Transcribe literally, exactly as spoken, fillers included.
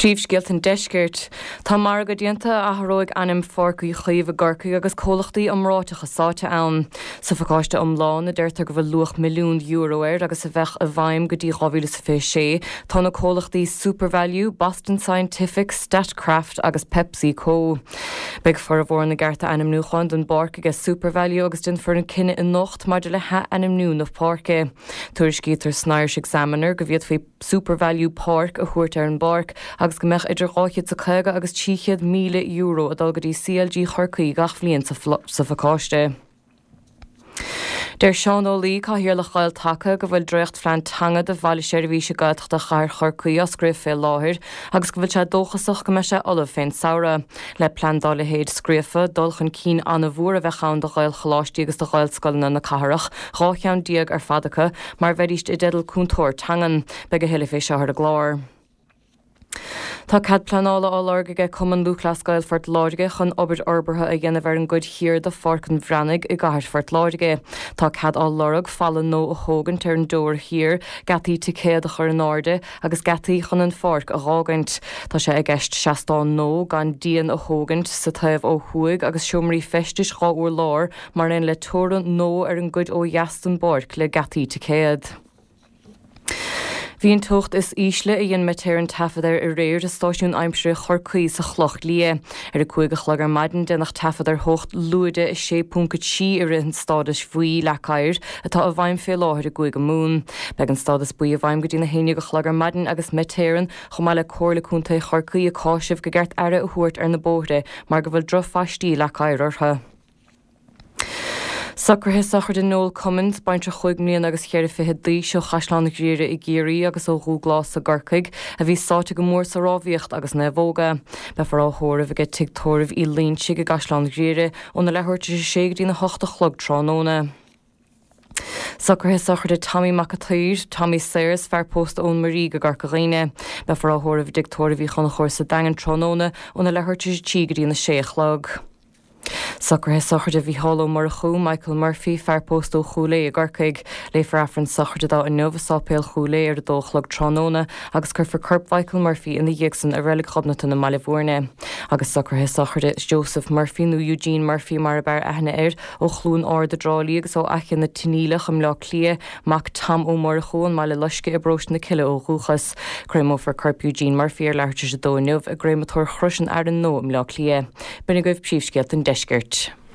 Príomhscéalta an Deiscirt. Tá margadh déanta a athróidh ainm Pháirc Uí Chaoimh i gCorcaigh agus comhlachtaí iomráiteacha sáite ann. Sa phacáiste iomlán a deirtear go bhfuil luach milliún euro air agus a bheadh i bhfeidhm go dtí dhá mhíle is fiche sé, tá na comhlachtaí SuperValu, Boston Scientific, Statkraft agus PepsiCo. Beidh formhór na gcearta ainmniúcháin don bpáirc aige SuperValu agus déanfar an cinneadh anocht maidir le hath-ainmniú na páirce. Tuairiscítear san Irish Examiner go bhféadfaí SuperValu Park a thabhairt ar an bpáirc agus go mbeadh idir dhá chéad is caoga agus trí chéad míle euro ag dul go dtí C L G Chorcaí gach bhliain sa phacáiste. Deir Seán Ó Laoi, Cathaoirleach Ghael-Taca, go bhfuil dréachtphlean teanga do Bhaile Seirbhíse Gaeltachta Chathair Chorcaí á scríobh fé láthair agus go bhfuil sé dóchasach go mbeidh sé ullamh fén samhradh. Le plean dá leithéid scríofa, dul chun cinn an-mhór a bheadh ann do Ghaelcholáistí agus do Ghaelscoileanna na cathrach, dhá cheann déag ar fad acu, mar bheidís i dteideal cúntóir teangan. Beidh a thuilleadh fé seo ar an gclár. Tá cead pleanála á lorg aige Cumann Lúthchleas Gael Phort Láirge chun obair fhorbartha a dhéanamh ar an gcuid thiar de Pháirc an Bhreathnaigh i gcathair Phort Láirge. Tá cead á lorg falla nua a thógaint ar an dteorainn thiar, geataí ticéad a chur in airde agus geataí chun an pháirc a dh'fhágaint. Tá sé i gceist seastán nua gan díon a thógaint sa taobh ó thuaidh agus seomraí feistis dhá urlár mar aon le teorainn nua ar an gcuid ó dheas den bpáirc le geataí ticéad. Bhí an teocht is ísle a dhein Met Éireann taifead air aréir i stáisiún aimsire Chorcaí sa Chloch Liath. Ar a cúig a chlog ar maidin déanadh taifead ar theocht lúide a sé ponc a trí i rith an stádais bhuí leac oighir atá i bhfeidhm fé láthair i gCúige Mumhan. Beidh an stádas buí i bhfeidhm go dtí na haon déag a chlog ar maidin agus Met Éireann chomh maith le Comhairle Contae Chorcaí ag cáiseamh go gceart aire a thabhairt ar na bóithre mar go bhfuil drochphaistí leac oighir orthu. Socruithe sochraide Noel Cummins, baintreach chúig mbliana agus cheithre fichid d'aois ó Chaisleán Ghriaire i gCiarraí agus ó Dhúghlás i gCorcaigh, a bhí sáite go mór sa rámhaíocht agus naomhóga. Beifear á thórramh aige Tigh Tórraimh Uí Loingsigh i gCaisleán Ghriaire óna leathuair tar éis a sé go dtína hocht a chlog tráthnóna. Socruithe sochraide Tommy Mac a tSaoir, Tommy Sayers, fear pósta ón Muirígh i gCorca Dhuibhne. Beifear á thórramh i dTigh Tórraimh Uí Chonchúir sa Daingean tráthnóna óna leathuair tar éis a trí go dtína sé a chlog. Socruithe sochraide Mhícheál Ó Murchú, Michael Murphy, fear pósta ó Chúil Aodha i gCorcaigh. Léifear Aifreann sochraide dó inniu i Sáipéal Chúil Aodha ar a dó a chlog tráthnóna agus cuirfear corp Mhichael Murphy ina dhiaidh san i Reilig Ghobnatan i mBaile Bhúirne. Agus socruithe sochraide Joseph Murphy nó Eugene Murphy mar ab fhearr aithne air ó Chluain Ard i dTrá Lí agus ó Fhaiche na Tiníleach i mBleá Cliath, mac Tom Ó Murchú ón mBaile Loiscthe i bparóiste na Cille ó dhúchas. Créamófar corp Eugene Murphy ar leathuair tar éis a dó inniu i gcréamatóir Chrois an Fhearainn Nua i mBleá Cliath. B'in agaibh príomhscéalta an Deiscirt.